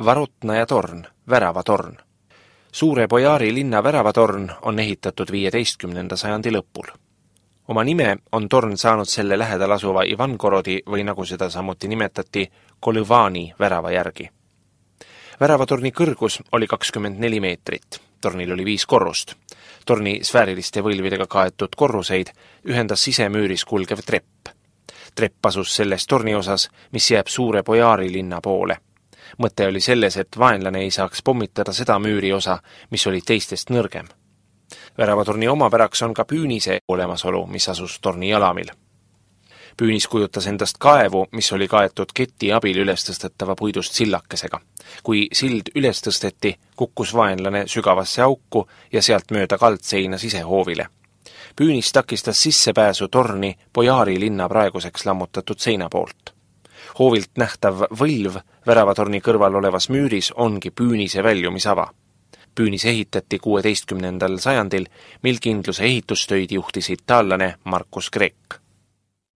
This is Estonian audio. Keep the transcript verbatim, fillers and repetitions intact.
Varotnaja torn, väravatorn. Suure Bojaari linna väravatorn on ehitatud viieteistkümnenda sajandi lõpul. Oma nime on torn saanud selle lähedal asuva Ivangorodi või nagu seda samuti nimetati, Kolõvani värava järgi. Väravatorni kõrgus oli kakskümmend neli meetrit. Tornil oli viis korrust. Torni sfääriliste võlvidega kaetud korruseid ühendas sisemüüris kulgev trepp. Trepp asus selles torni osas, mis jääb Suure Bojaari linna poole. Mõte oli selles, et vaenlane ei saaks pommitada seda müüri osa, mis oli teistest nõrgem. Väravatorni omapäraks on ka püünise olemasolu, mis asus torni jalamil. Püünis kujutas endast kaevu, mis oli kaetud keti abil üles tõstetava puidust sillakesega. Kui sild üles tõsteti, kukkus vaenlane sügavasse auku ja sealt mööda kaldseina sisehoovile. Püünis takistas sissepääsu torni Bojaari linna praeguseks lammutatud seina poolt. Hoovilt nähtav võlv väravatorni kõrval olevas müüris ongi püünise väljumisava. Püünis ehitati kuueteistkümnendal sajandil, mil kindluse ehitustöid juhtis itaallane Markus Grek.